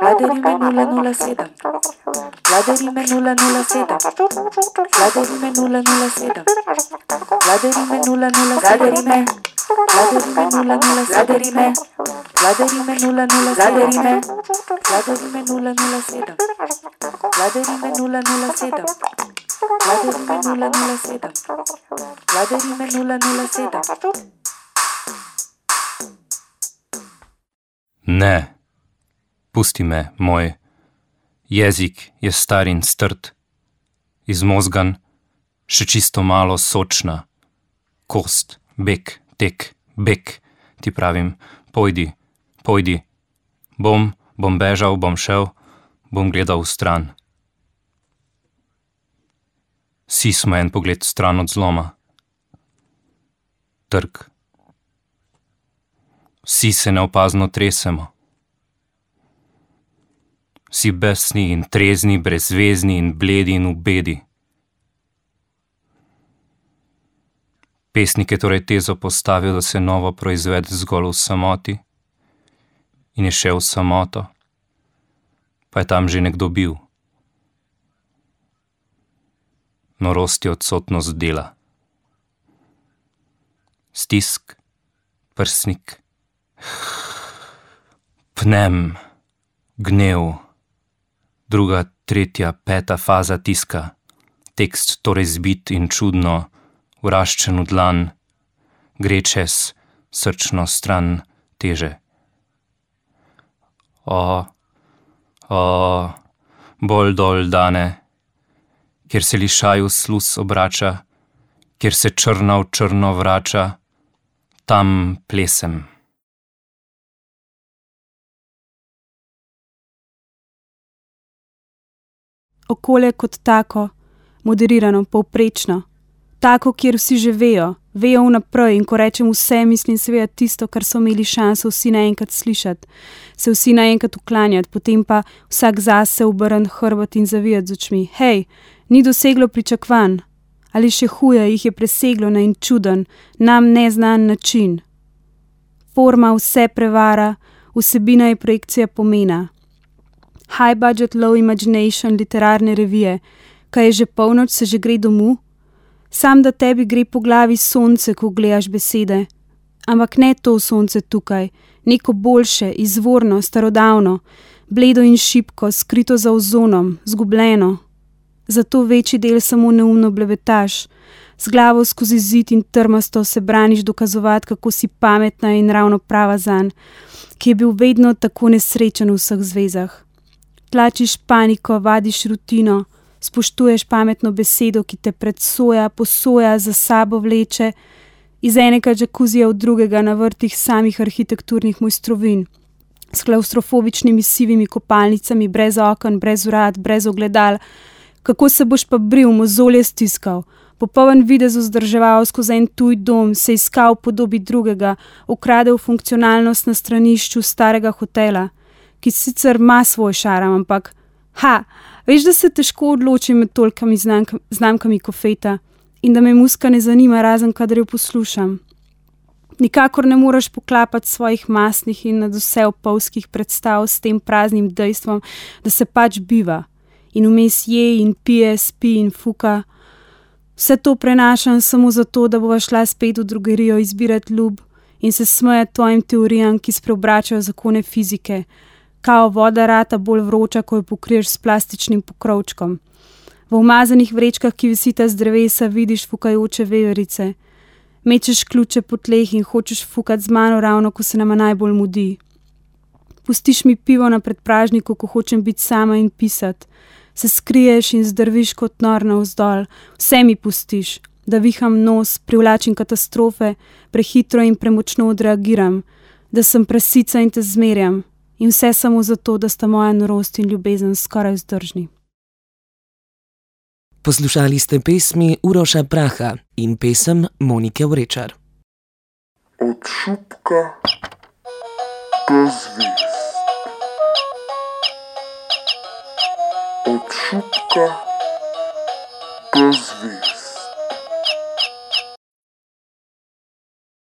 Vladarime 007. Vladarime 007. Vladarime 007. Vladarime 007. Vladarime 007. Vladarime 007. Vladarime 007. Vladarime 007. Vladarime 007. Vladarime 007. Ne, pusti me, moj jezik je star in strd, izmozgan, še čisto malo sočna, kost, bek, tek, bek, ti pravim, pojdi, pojdi, bom bežal, bom šel, bom gledal v stran. Vsi smo en pogled stran od zloma. Trg. Vsi se neopazno tresemo. Vsi besni in trezni, brezvezni in bledi in v bedi. Pesnik je torej tezo postavil, da se novo proizvede zgolj v samoti in je šel v samoto, pa je tam že nekdo bil. Norost je odsotnost dela. Stisk, prsnik, pnem, gnev, druga, tretja, peta faza tiska, tekst torej zbit in čudno, vraščen v dlan, gre čez srčno stran teže. Bolj dol dane, kjer se lišaju sluz obrača, kjer se črna v črno vrača, tam plesem. Okolje kot tako, moderirano, povprečno, tako, kjer vsi že vejo vnaprej in ko rečem vse, mislim seveda tisto, kar so imeli šanso vsi naenkrat slišati, se vsi naenkrat uklanjati, potem pa vsak zase obrniti hrbet in zavijati z očmi. Hej, ni doseglo pričakovanj, ali še huje, jih je preseglo na en čuden, nam neznan način. Forma vse prevara, vsebina je projekcija pomena. High budget, low imagination, literarne revije, kaj je že polnoč, se že gre domu? Sam da tebi gre po glavi sonce, ko gledaš besede. Ampak ne to sonce tukaj, neko boljše, izvorno, starodavno, bledo in šibko, skrito za ozonom, zgubljeno. Zato večji del samo neumno blebetaš, z glavo skozi zid in trmasto se braniš dokazovati, kako si pametna in ravno prava zanj, ki je bil vedno tako nesrečen v vseh zvezah. Tlačiš paniko, vadiš rutino, spoštuješ pametno besedo, ki te predsoja, posoja, za sabo vleče, iz enega džakuzija v drugega na vrtih samih arhitekturnih mojstrovin, s klaustrofobičnimi sivimi kopalnicami, brez oken, brez vrat, brez ogledal. Kako se boš pa bril, mozolje stiskal, popoln videz vzdrževal skozi en tuj dom, se iskal v podobi drugega, ukradel funkcionalnost na stranišču starega hotela, ki sicer ima svoj šaram, ampak veš, da se težko odločim med tolikimi znamkami kofeta in da me muska ne zanima, razen kadar jo poslušam. Nikakor ne moreš poklapati svojih masnih in nadvse opolskih predstav s tem praznim dejstvom, da se pač biva in vmes je in pije, spi in fuka. Vse to prenašam samo zato, da bova šla spet v drogerijo izbirati ljub in se smejati tvojim teorijam, ki spreobračajo zakone fizike, kao voda rata bolj vroča, ko jo pokriješ s plastičnim pokrovčkom. V umazanih vrečkah, ki visita z drevesa, vidiš fukajoče veverice. Mečeš ključe po tleh in hočeš fukati z mano ravno, ko se nama najbolj mudi. Pustiš mi pivo na predpražniku, ko hočem biti sama in pisati. Se skriješ in zdrviš kot nor navzdol. Vse mi pustiš, da viham nos, privlačim katastrofe, prehitro in premočno odreagiram, da sem prasica in te zmerjam. In vse samo zato, da sta moja norost in ljubezen skoraj vzdržni. Poslušali ste pesmi Uroša Praha in pesem Monike Vrečar. Od šupka do zvezd. Od šupka do zvezd.